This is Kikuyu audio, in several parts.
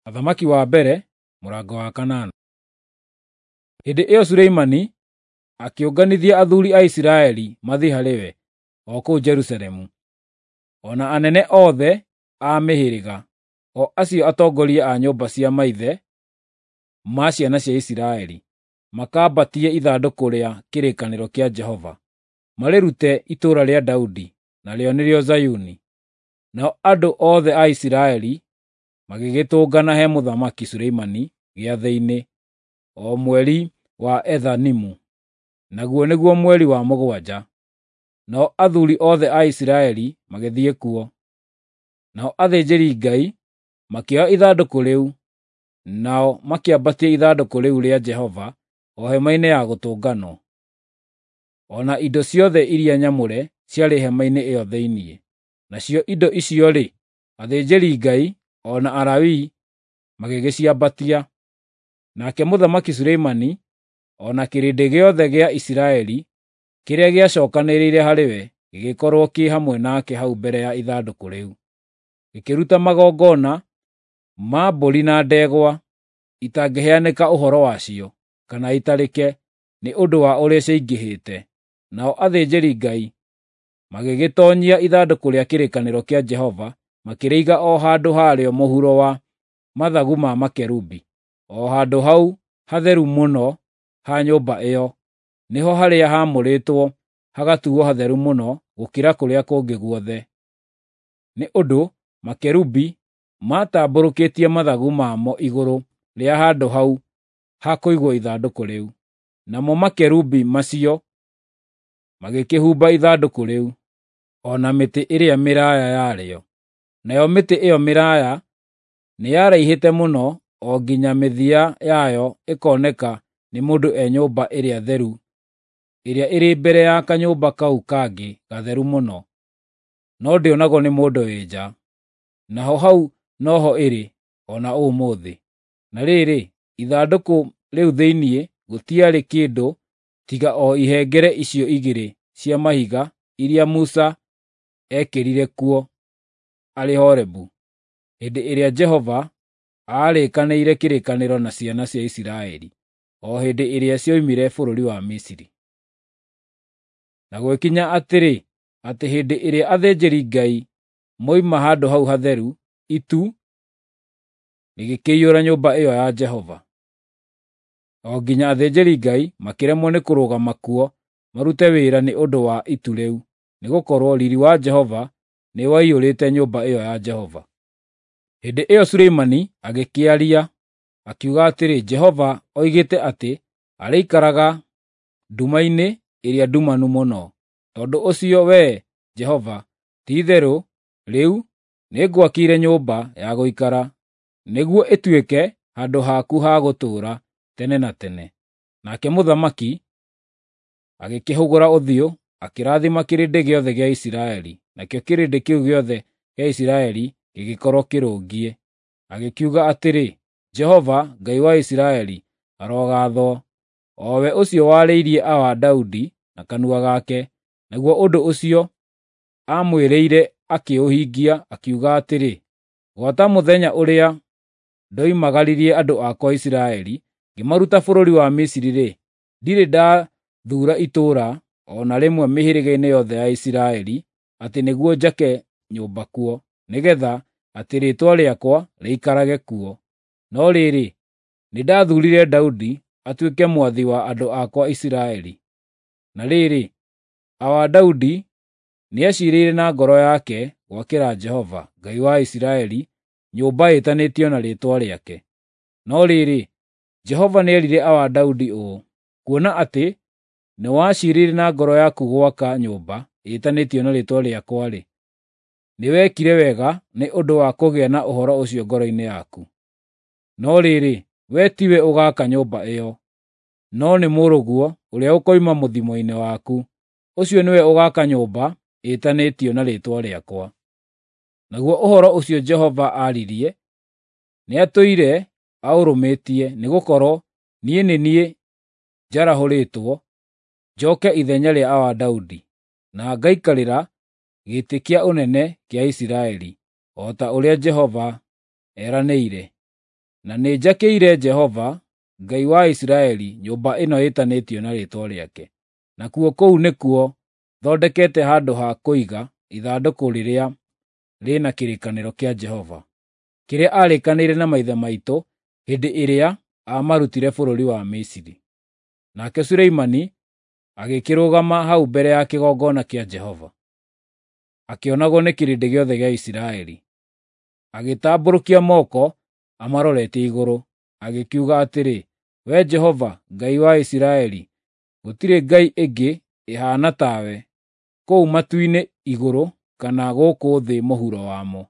Athamaki wa mbere mũrango wa kanana. Hĩndĩ ĩyo Suleimani akĩũnganithia athuuri a Isiraeli mathiĩ harĩ we o kũu Jerusalemu, o na anene othe a mĩhĩrĩga, o acio atongoria a nyũmba cia maithe ma ciana cia Isiraeli, makambatie ithandũkũ rĩa kĩrĩkanĩro kĩa Jehova, marĩrute itũũra rĩa Daudi, narĩo nĩrĩo Zayuni. Nao andũ othe a Isiraeli magĩgĩtũngana he Mũthamaki Suleimani gĩathĩ-inĩ, o mweri wa Ethanimu, naguo nĩguo mweri wa mũgwanja. Nao athuuri othe a Isiraeli magĩthiĩ kuo. Nao athĩnjĩri-Ngai makĩoya ithandũkũ rĩu, nao makĩambatia ithandũkũ rĩu rĩa Jehova o hema-inĩ ya gũtũnganwo, o na indo ciothe iria nyamũre ciarĩ hema-inĩ ĩyo thĩinĩ. Nacio indo icio-rĩ, athĩnjĩri-Ngai o na Alawii magĩgĩciambatia. Nake Mũthamaki Suleimani o na kĩrĩndĩ gĩothe gĩa Isiraeli kĩrĩa gĩacookanĩrĩire harĩ we gĩgĩkorwo kĩ hamwe nake hau mbere ya ithandũkũ rĩu, gĩkĩruta magongona ma mbũri na ndegwa itangĩheanĩka ũhoro wacio kana itarĩke, nĩ ũndũ wa ũrĩa ciaingĩhĩte. Nao athĩnjĩri-Ngai magĩgĩtoonyia ithandũkũ rĩa kĩrĩkanĩro kĩa Jehova makĩrĩiga o handũ harĩo mũhuro wa mathagu ma makerubi, o handũ hau hatheru mũno ha nyũmba ĩyo, nĩho harĩa haamũrĩtwo hagatuuo hatheru mũno gũkĩra kũrĩa kũngĩ guothe. Nĩ ũndũ makerubi maatambũrũkĩtie mathagu mamo igũrũ rĩa handũ hau ha kũigwo ithandũkũ rĩu. Namo makerubi macio magĩkĩhumba ithandũkũ rĩu, o na mĩtĩ ĩrĩa mĩraaya yarĩo. Nayo mĩtĩ ĩyo mĩraaya nĩyaraihĩte mũno o nginya mĩthia yayo ĩkoneka nĩ mũndũ e nyũmba ĩrĩa theru ĩrĩa ĩrĩ mbere ya kanyũmba kau kangĩ gatheru mũno, no ndĩonagwo nĩ mũndũ wĩ nja. Naho hau noho ĩrĩ o na ũmũthĩ. Na rĩrĩ, ithandũkũ rĩu thĩinĩ gũtiarĩ kĩndũ tiga o ihengere icio igĩrĩ cia mahiga iria Musa eekĩrire kuo arĩ Horebu, hĩndĩ ĩrĩa Jehova aarĩkanĩire kĩrĩkanĩro na ciana cia Isiraeli, o hĩndĩ ĩrĩa cioimire bũrũri wa Misiri. Na gũgĩkinya atĩrĩ, atĩ hĩndĩ ĩrĩa athĩnjĩri-Ngai moima handũ hau hatheru, itu rĩgĩkĩiyũra nyũmba ĩyo ya Jehova, o nginya athĩnjĩri-Ngai makĩremwo nĩ kũrũgama kuo marute wĩra nĩ ũndũ wa itu rĩu, nĩgũkorwo riiri wa Jehova nĩwaiyũrĩte nyũmba ĩyo ya Jehova. Hĩndĩ ĩyo Suleimani agĩkĩaria, akiuga atĩrĩ, Jehova oigĩte atĩ arĩikaraga nduma-inĩ ĩrĩa ndumanu mũno. Tondũ ũcio Wee Jehova, ti-itherũ rĩu nĩngwakĩire nyũmba ya gũikara, nĩguo ĩtuĩke handũ haku ha gũtũũra tene na tene. Nake mũthamaki agĩkĩhũgũra ũthiũ, akĩrathima kĩrĩndĩ gĩothe gĩa Isiraeli, nakĩo kĩrĩndĩ kĩu gĩothe gĩa Isiraeli gĩgĩkorwo kĩrũngiĩ. Agĩkiuga atĩrĩ, Jehova, Ngai wa Isiraeli, arogaathwo, o we ũcio warĩirie awa Daudi na kanua gake, naguo ũndũ ũcio aamwĩrĩire akĩũhingia, akiuga atĩrĩ, “Gwata mũthenya ũrĩa ndoimagaririe andũ akwa Isiraeli, ngĩmaruta bũrũri wa Misiri-rĩ, ndirĩ ndathuura itũũra o na rĩmwe mĩhĩrĩga-inĩ yothe ya Isiraeli atĩ nĩguo njake nyũmba kuo, nĩgeetha atĩ Rĩĩtwa rĩakwa rĩikarage kuo. No rĩrĩ, nĩndathuurire Daudi atuĩke mwathi wa andũ akwa Isiraeli. Na rĩrĩ, awa Daudi nĩaciirĩire na ngoro yake gwakĩra Jehova, Ngai wa Isiraeli, nyũmba ĩtanĩtio na Rĩĩtwa rĩake. No rĩrĩ, Jehova nĩerire awa Daudi ũũ, ‘Kuona atĩ nĩwaciirĩire na ngoro yaku gwaka nyũmba ĩtanĩtio na Rĩĩtwa rĩakwa-rĩ, nĩwekire wega nĩ ũndũ wa kũgĩa na ũhoro ũcio ngoro-inĩ yaku. No rĩrĩ, wee tiwe ũgaaka nyũmba ĩyo, no nĩ mũrũguo ũrĩa ũkoima mũthimo-inĩ waku, ũcio nĩwe ũgaaka nyũmba ĩtanĩtio na Rĩĩtwa rĩakwa.’ Naguo ũhoro ũcio Jehova aaririe nĩatũire aũrũmĩtie, nĩgũkorwo niĩ nĩ niĩ njarahũrĩtwo njoke ithenya rĩa awa Daudi, na ngaikarĩra gĩtĩ kĩa ũnene kĩa Isiraeli, o ta ũrĩa Jehova eranĩire. Na nĩnjakĩire Jehova, Ngai wa Isiraeli, nyũmba ĩno ĩtanĩtio na rĩĩtwa rĩake. Nakuo kũu nĩkuo thondekete handũ ha kũiga ithandũkũ rĩrĩa rĩna kĩrĩkanĩro kĩa Jehova, kĩrĩa aarĩkanĩire na maithe maitũ hĩndĩ ĩrĩa aamarutire bũrũri wa Misiri. Nake Suleimani agĩkĩrũgama hau mbere ya kĩgongona kĩa Jehova, akĩonagwo nĩ kĩrĩndĩ gĩothe gĩa Isiraeli. Agĩtambũrũkia moko amaroretie igũrũ, agĩkiuga atĩrĩ, "Wee Jehova, Ngai wa Isiraeli, gũtirĩ ngai ĩngĩ ĩhaana tawe kũu matu-inĩ igũrũ kana gũkũ thĩ mũhuro wamo.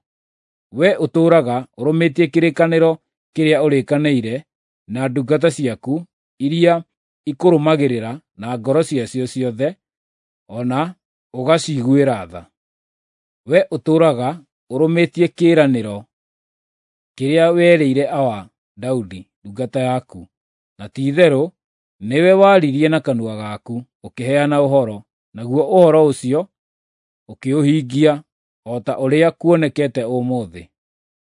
Wee ũtũũraga ũrũmĩtie kĩrĩkanĩro kĩrĩa ũrĩkanĩire na ndungata ciaku iria ikũrũmagĩrĩra na ngoro ciacio ciothe, o na ũgaciguĩra tha. Wee ũtũũraga ũrũmĩtie kĩĩranĩro kĩrĩa werĩire awa Daudi ndungata yaku, na ti-itherũ nĩwe waririe na kanua gaku ũkĩheana ũhoro, naguo ũhoro ũcio ũkĩũhingia o ta ũrĩa kuonekete ũmũthĩ.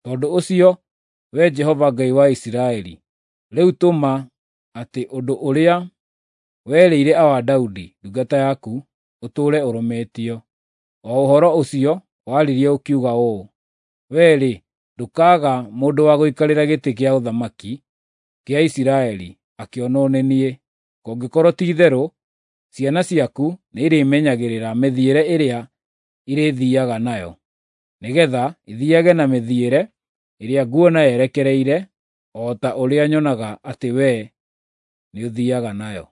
Tondũ ũcio, Wee Jehova Ngai wa Isiraeli, rĩu tũma atĩ ũndũ ũrĩa werĩire awa Daudi ndungata yaku ũtũũre ũrũmĩtio, o ũhoro ũcio waririe ũkiuga ũũ, 'Wee-rĩ, ndũkaaga mũndũ wa gũikarĩra gĩtĩ kĩa ũthamaki kĩa Isiraeli akĩonwo nĩ niĩ, kũngĩkorwo ti-itherũ ciana ciaku nĩirĩmenyagĩrĩra mĩthiĩre ĩrĩa irĩthiiaga nayo, nĩgeetha ithiiage na mĩthiĩre ĩrĩa nguona yerekereire o ta ũrĩa nyonaga atĩ wee nĩũthiiaga nayo.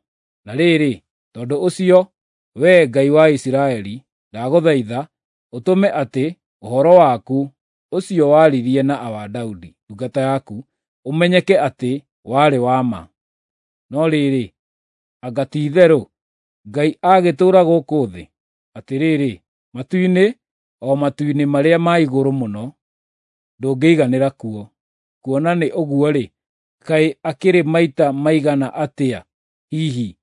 Na rĩrĩ, tondũ ũcio, Wee Ngai wa Isiraeli, ndagũthaitha ũtũme atĩ ũhoro waku ũcio waririe na awa Daudi ndungata yaku ũmenyeke atĩ warĩ wa ma. No rĩrĩ, anga ti-itherũ Ngai agĩtũũra gũkũ thĩ? Atĩrĩrĩ, matu-inĩ, o matu-inĩ marĩa ma igũrũ mũno, ndũngĩiganĩra kuo. Kuona nĩ ũguo-rĩ, kaĩ akĩrĩ maita maigana atĩa hihi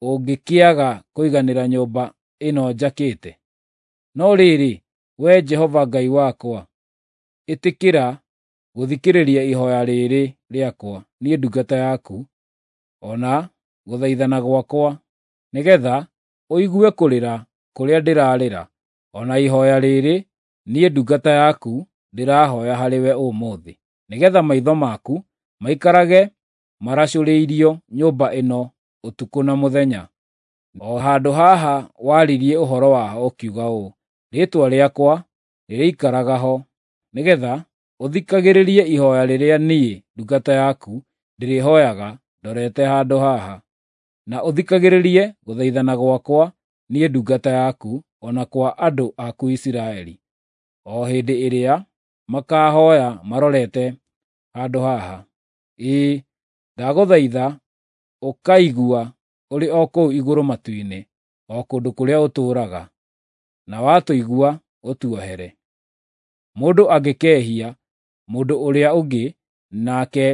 ũngĩkĩaga kũiganĩra nyũmba ĩno njakĩte? No rĩrĩ, Wee Jehova Ngai wakwa, ĩtĩkĩra gũthikĩrĩria ihooya rĩrĩ rĩakwa niĩ ndungata yaku, o na gũthaithana gwakwa, nĩgeetha ũigue kũrĩra kũrĩa ndĩrarĩra, o na ihooya rĩrĩ niĩ ndungata yaku ndĩrahooya harĩwe ũmũthĩ, nĩgeetha maitho maku maikarage maracũrĩirio nyũmba ĩno ũtukũ na mũthenya, o handũ haha waririe ũhoro waho ũkiuga ũũ, 'Rĩĩtwa rĩakwa rĩrĩikaraga ho,' nĩgeetha ũthikagĩrĩrie ihooya rĩrĩa niĩ ndungata yaku ndĩrĩhooyaga ndorete handũ haha, na ũthikagĩrĩrie gũthaithana gwakwa niĩ ndungata yaku, o na kwa andũ aku Isiraeli, o hĩndĩ ĩrĩa makaahooya marorete handũ haha. Ĩĩ, ndagũthaitha ũkaigua ũrĩ o kũu igũrũ matu-inĩ, o kũndũ kũrĩa ũtũũraga, na watũigua ũtuohere. Mũndũ angĩkehia mũndũ ũrĩa ũngĩ, nake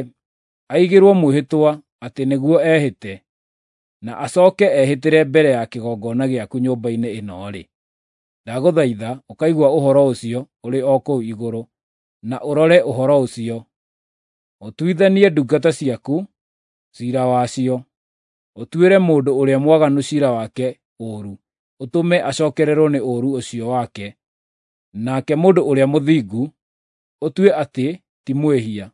aigĩrwo mwĩhĩtwa atĩ nĩguo ehĩte, na acooke ehĩtĩre mbere ya kĩgongona gĩaku nyũmba-inĩ ĩno-rĩ, ndagũthaitha ũkaigua ũhoro ũcio ũrĩ o kũu igũrũ, na ũrore ũhoro ũcio, ũtuithanie ndungata ciaku ciira wacio, ũtuĩre mũndũ ũrĩa mwaganu ciira wake ũũru, ũtũme acookererwo nĩ ũũru ũcio wake, nake mũndũ ũrĩa mũthingu ũtue atĩ ti mwĩhia,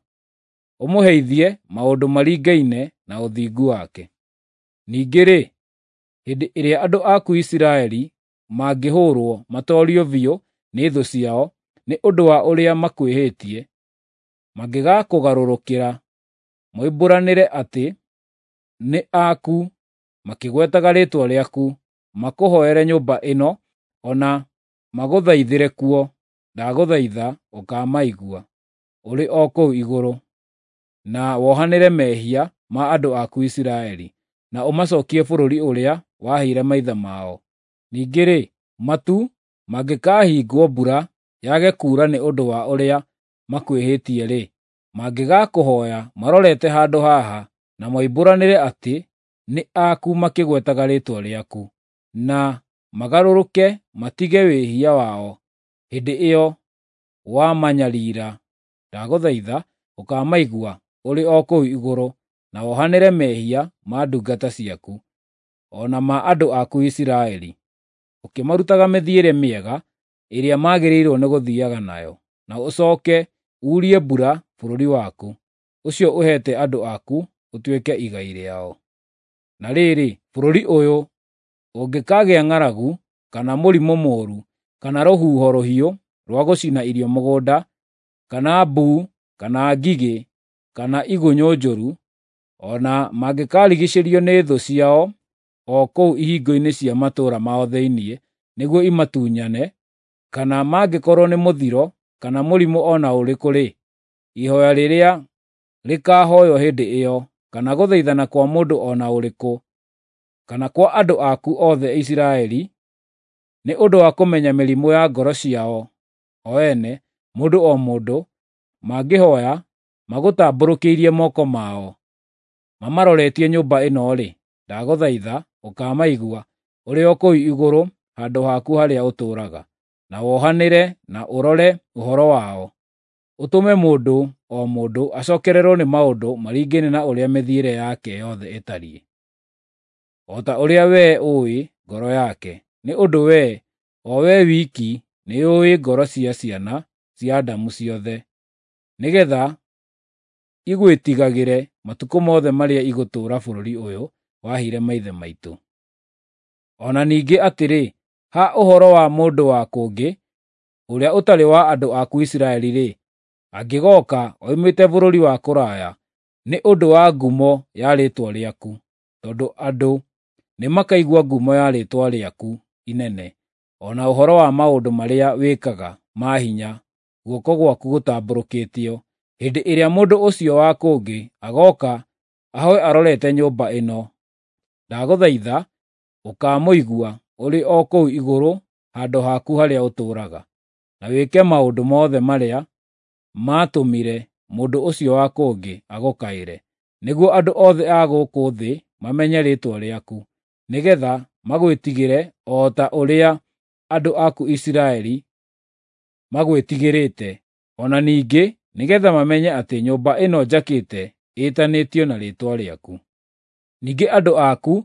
ũmũheithie maũndũ maringaine na ũthingu wake. Ningĩ-rĩ, hĩndĩ ĩrĩa andũ aku Isiraeli mangĩhũũrwo matoorio biũ nĩ thũ ciao nĩ ũndũ wa ũrĩa makwĩhĩtie, mangĩgaakũgarũrũkĩra moimbũranĩre atĩ nĩ aku makĩgwetaga rĩĩtwa rĩaku, makũhooere nyũmba ĩno, o na magũthaithĩre kuo, ndagũthaitha ũkamaigua ũrĩ o kũu igũrũ, na wohanĩre mehia ma andũ aku Isiraeli, na ũmacookie bũrũri ũrĩa waheire maithe mao. Ningĩ-rĩ, matu mangĩkaahingwo mbura yage kuura nĩ ũndũ wa ũrĩa makwĩhĩtie-rĩ, mangĩgaakũhooya marorete handũ haha, na moimbũranĩre atĩ nĩ aku makĩgwetaga rĩĩtwa rĩaku, na magarũrũke matige wĩhia wao hĩndĩ ĩyo wamanyariira, ndagũthaitha ũkaamaigua ũrĩ o kũu igũrũ, na wohanĩre mehia ma ndungata ciaku, o na ma andũ aku Isiraeli, ũkĩmarutaga mĩthiĩre mĩega ĩrĩa magĩrĩirwo nĩ gũthiiaga nayo, na ũcooke uurie mbura bũrũri waku, ũcio ũheete andũ aku ũtuĩke igai rĩao. Na rĩrĩ, bũrũri ũyũ ũngĩkaagĩa ng'aragu, kana mũrimũ mũũru, kana rũhuho rũhiũ rwa gũcina irio mũgũnda, kana mbuu, kana ngigĩ, kana igunyũ njũru, o na mangĩkarigiicĩrio nĩ thũ ciao o kũu ihingo-inĩ cia matũũra mao thĩinĩ nĩguo imatunyane, kana mangĩkorwo nĩ mũthiro kana mũrimũ o na ũrĩkũ-rĩ, ihooya rĩrĩa rĩkaahooywo hĩndĩ ĩyo, kana gũthaithana kwa mũndũ o na ũrĩkũ, kana kwa andũ aku othe Isiraeli, nĩ ũndũ wa kũmenya mĩrimũ ya ngoro ciao o ene, mũndũ o mũndũ, mangĩhooya magũtambũrũkĩirie moko mao, mamaroretie nyũmba ĩno-rĩ, ndagũthaitha ũkaamaigua ũrĩ o kũu igũrũ handũ haku harĩa ũtũũraga, na wohanĩre na ũrore ũhoro wao, ũtũme mũndũ o mũndũ acookererwo nĩ maũndũ maringaine na ũrĩa mĩthiĩre yake yothe ĩtariĩ, o ta ũrĩa wee ũũĩ ngoro yake, nĩ ũndũ wee, o wee wiki, nĩũũĩ ngoro cia ciana cia Adamu ciothe, nĩgeetha igwĩtigagĩre matukũ mothe marĩa igũtũũra bũrũri ũyũ waheire maithe maitũ. O na ningĩ atĩrĩ, ha ũhoro wa mũndũ wa kũngĩ, ũrĩa ũtarĩ wa andũ aku Isiraeli-rĩ, angĩgooka oimĩte bũrũri wa kũraya, nĩ ũndũ wa ngumo ya rĩĩtwa rĩaku, tondũ andũ nĩmakaigua ngumo ya rĩĩtwa rĩaku inene, o na ũhoro wa maũndũ marĩa wĩkaga ma hinya guoko gwaku gũtambũrũkĩtio, hĩndĩ ĩrĩa mũndũ ũcio wa kũngĩ agooka ahooe arorete nyũmba ĩno, ndagũthaitha ũkaamũigua ũrĩ o kũu igũrũ handũ haku harĩa ũtũũraga, na wĩke maũndũ mothe marĩa maatũmire mũndũ ũcio wa kũngĩ agũkaĩre, nĩguo andũ othe a gũkũ thĩ mamenye rĩĩtwa rĩaku, nĩgeetha magwĩtigĩre o ta ũrĩa andũ aku Isiraeli magwĩtigĩrĩte, o na ningĩ nĩgeetha mamenye atĩ nyũmba ĩno njakĩte ĩĩtanĩtio na rĩĩtwa rĩaku. Ningĩ andũ aku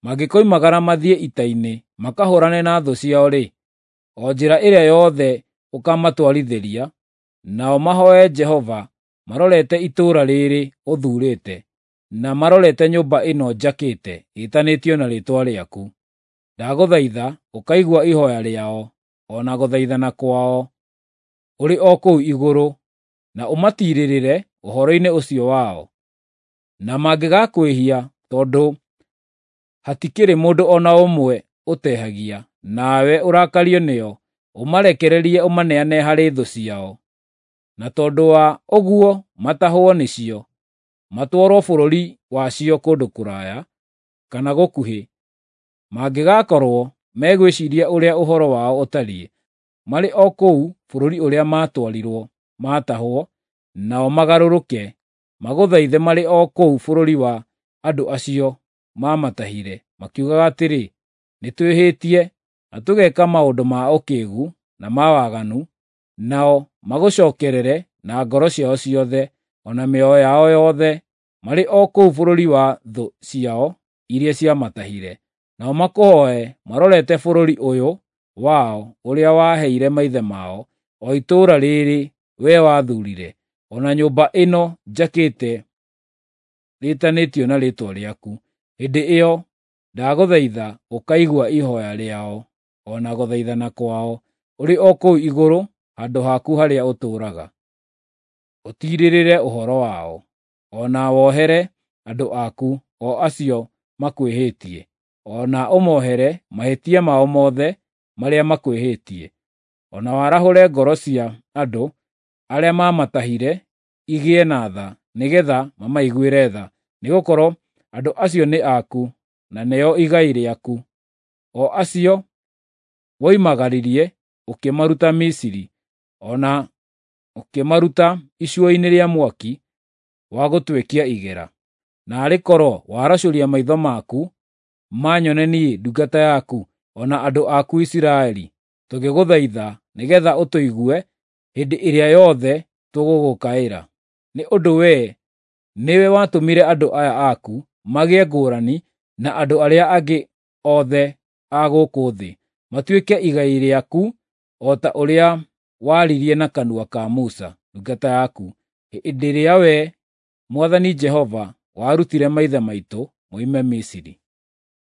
mangĩkoimagara mathiĩ ita-inĩ makahũũrane na thũ ciao-rĩ, o njĩra ĩrĩa yothe ũkaamatwarithĩria, nao mahooe Jehova marorete itũũra rĩĩrĩ ũthuurĩte, na marorete nyũmba ĩno njakĩte ĩĩtanĩtio na rĩĩtwa rĩaku, ndagũthaitha ũkaigua ihooya rĩao, o na gũthaithana kwao ũrĩ o kũu igũrũ, na ũmatiirĩrĩre ũhoro-inĩ ũcio wao. Na mangĩgakwĩhia, tondũ hatikĩrĩ mũndũ o na ũmwe ũtehagia, nawe ũrakario nĩo, ũmarekererie ũmaneane harĩ thũ ciao. Na tondũ wa ũguo matahwo nĩcio, matwarwo bũrũri wacio kũndũ kũraya kana gũkuhĩ, mangĩgakorwo megwĩciiria ũrĩa ũhoro wao ũtariĩ, marĩ o kũu bũrũri ũrĩa maatwarirwo maatahwo, nao magarũrũke, magũthaithe marĩ o kũu bũrũri wa andũ acio maamatahire, makiugaga atĩrĩ, ‘Nĩtwĩhĩtie, na tũgeka maũndũ ma ũkĩĩgu na ma waganu,’ nao magũcookerere na ngoro ciao ciothe, o na mĩoyo yao yothe, marĩ o kũu bũrũri wa thũ ciao iria ciamatahire, nao makũhooe marorete bũrũri ũyũ wao ũrĩa waheire maithe mao, o itũũra rĩĩrĩ wee wathuurire, o na nyũmba ĩno njakĩte rĩĩtanĩtio na rĩĩtwa rĩaku. Hĩndĩ ĩyo ndagũthaitha ũkaigua ihooya rĩao o na gũthaithana kwao ũrĩ o kũu igũrũ handũ haku harĩa ũtũũraga. Ũtiirĩrĩre ũhoro wao, o na wohere andũ aku, o acio makwĩhĩtie, o na ũmohere mahĩtia mao mothe marĩa makwĩhĩtie, o na warahũre ngoro cia andũ arĩa maamatahire igĩe na tha, nĩgeetha mamaiguĩre tha, nĩgũkorwo andũ acio nĩ aku, na nĩo igai rĩaku, o acio woimagaririe ũkĩmaruta Misiri, o na ũkĩmaruta icua-inĩ rĩa mwaki wa gũtwekia igera. Naarĩ korwo waracũria maitho maku manyone niĩ ndungata yaku, o na andũ aku Isiraeli, tũgĩgũthaitha nĩgeetha ũtũigue hĩndĩ ĩrĩa yothe tũgũgũkaĩra. Nĩ ũndũ wee nĩwe watũmire andũ aya aku magĩe ngũrani na andũ arĩa angĩ othe a gũkũ thĩ, matuĩke igai rĩaku o ta ũrĩa waririe na kanua ka Musa ndungata yaku, hĩndĩ ĩrĩa wee, Mwathani Jehova, warutire maithe maitũ moime Misiri.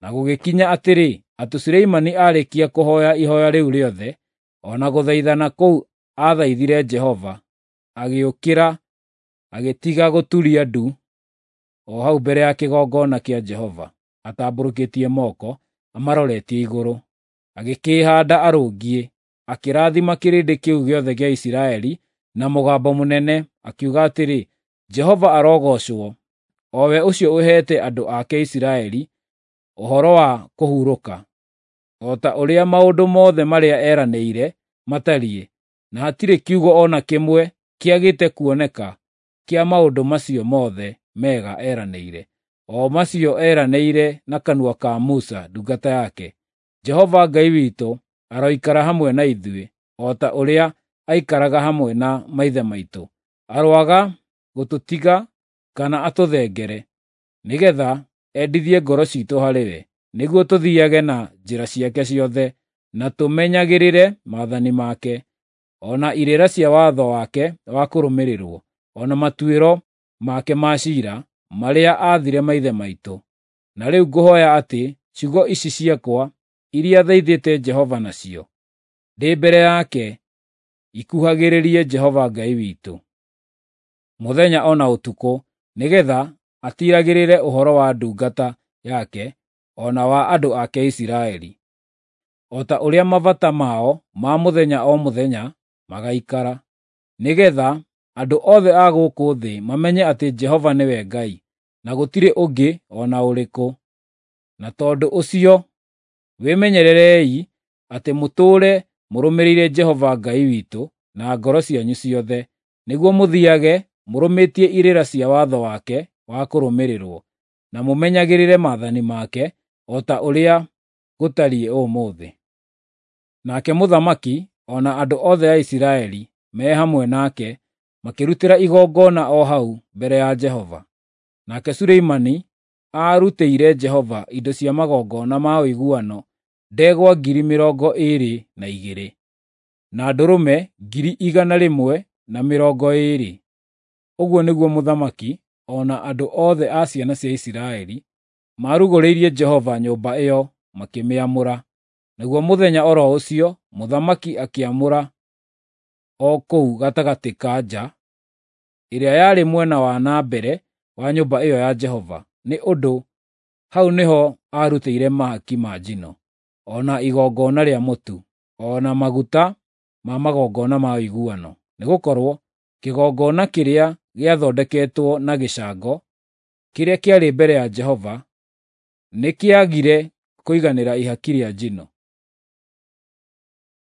Na gũgĩkinya atĩrĩ, atĩ Suleimani aarĩkia kũhooya ihooya rĩu rĩothe, o na gũthaithana kũu aathaithire Jehova, agĩũkĩra agĩtiga gũturia ndu o hau mbere ya kĩgongona kĩa Jehova, atambũrũkĩtie moko amaroretie igũrũ. Agĩkĩĩhaanda arũngiĩ, akĩrathima kĩrĩndĩ kĩu gĩothe gĩa Isiraeli na mũgambo mũnene, akiuga atĩrĩ, Jehova arogoocwo, o we ũcio ũheete andũ ake Isiraeli ũhoro wa kũhurũka, o ta ũrĩa maũndũ mothe marĩa eranĩire matariĩ, na hatirĩ kiugo o na kĩmwe kĩagĩte kuoneka kĩa maũndũ macio mothe mega eranĩire, o macio eranĩire na kanua ka Musa ndungata yake. Jehova Ngai witũ aroikara hamwe na ithuĩ, o ta ũrĩa aikaraga hamwe na maithe maitũ. Aroaga gũtũtiga kana atũthengere, nĩgeetha endithie ngoro ciitũ harĩ we, nĩguo tũthiiage na njĩra ciake ciothe, na tũmenyagĩrĩre maathani make, o na irĩra cia watho wake wa kũrũmĩrĩrwo, o na matuĩro make ma ciira marĩa aathire maithe maitũ. Na rĩu ngũhooya atĩ ciugo ici ciakwa iria thaithĩte Jehova nacio ndĩ mbere yake ikuhagĩrĩrie Jehova Ngai witũ mũthenya o na ũtukũ, nĩgeetha atiiragĩrĩre ũhoro wa ndungata yake o na wa andũ ake Isiraeli, o ta ũrĩa mabata mao ma mũthenya o mũthenya magaikara, nĩgeetha andũ othe a gũkũ thĩ mamenye atĩ Jehova nĩwe Ngai, na gũtirĩ ũngĩ o na ũrĩkũ. Na tondũ ũcio wĩmenyererei atĩ mũtũũre mũrũmĩrĩire Jehova Ngai witũ na ngoro cianyu ciothe, nĩguo mũthiiage mũrũmĩtie irĩra cia watho wake wa kũrũmĩrĩrwo, na mũmenyagĩrĩre maathani make, o ta ũrĩa gũtariĩ ũmũthĩ. Nake mũthamaki o na andũ othe a Isiraeli me hamwe nake makĩrutĩra igongona o hau mbere ya Jehova. Nake Suleimani aarutĩire Jehova indo cia magongona ma ũiguano ndegwa 22,000, na ndũrũme 120,000. Ũguo nĩguo mũthamaki o na andũ othe a ciana cia Isiraeli maarugũrĩirie Jehova nyũmba ĩyo makĩmĩamũra. Naguo mũthenya o ro ũcio mũthamaki akĩamũra o kũu gatagatĩ ka nja ĩrĩa yarĩ mwena wa na mbere wa nyũmba ĩyo ya Jehova, nĩ ũndũ hau nĩho aarutĩire mahaki ma njino, o na igongona rĩa mũtu, o na maguta ma magongona ma ũiguano, nĩgũkorwo kĩgongona kĩrĩa gĩathondeketwo na gĩcango, kĩrĩa kĩarĩ mbere ya Jehova, nĩkĩagire kũiganĩra ihaki rĩa njino,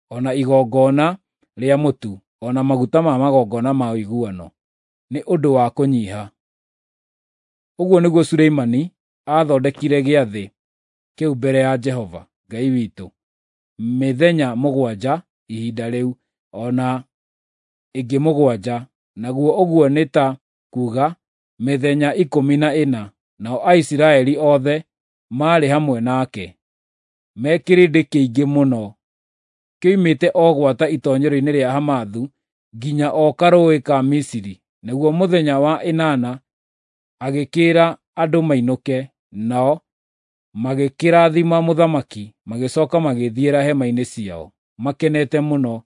o na igongona rĩa mũtu, o na maguta ma magongona ma ũiguano, nĩ ũndũ wa kũnyiiha. Ũguo nĩguo Suleimani aathondekire gĩathĩ kĩu mbere ya Jehova Ngai witũ mĩthenya 7 ihinda rĩu, o na ĩngĩ 7, naguo ũguo nĩ ta kuuga mĩthenya 14, nao Aisiraeli othe maarĩ hamwe nake, me kĩrĩndĩ kĩingĩ mũno, kĩoimĩte o gwata itoonyero-inĩ rĩa Hamathu nginya o Karũũĩ ka Misiri. Naguo mũthenya wa ĩnana agĩkĩĩra andũ mainũke, nao magĩkĩrathima mũthamaki, magĩcooka magĩĩthiĩra hema-inĩ ciao makenete mũno,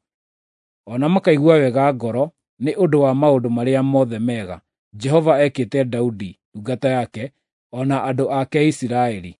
o na makaigua wega ngoro nĩ ũndũ wa maũndũ marĩa mothe mega Jehova ekĩte Daudi ndungata yake o na andũ ake Isiraeli.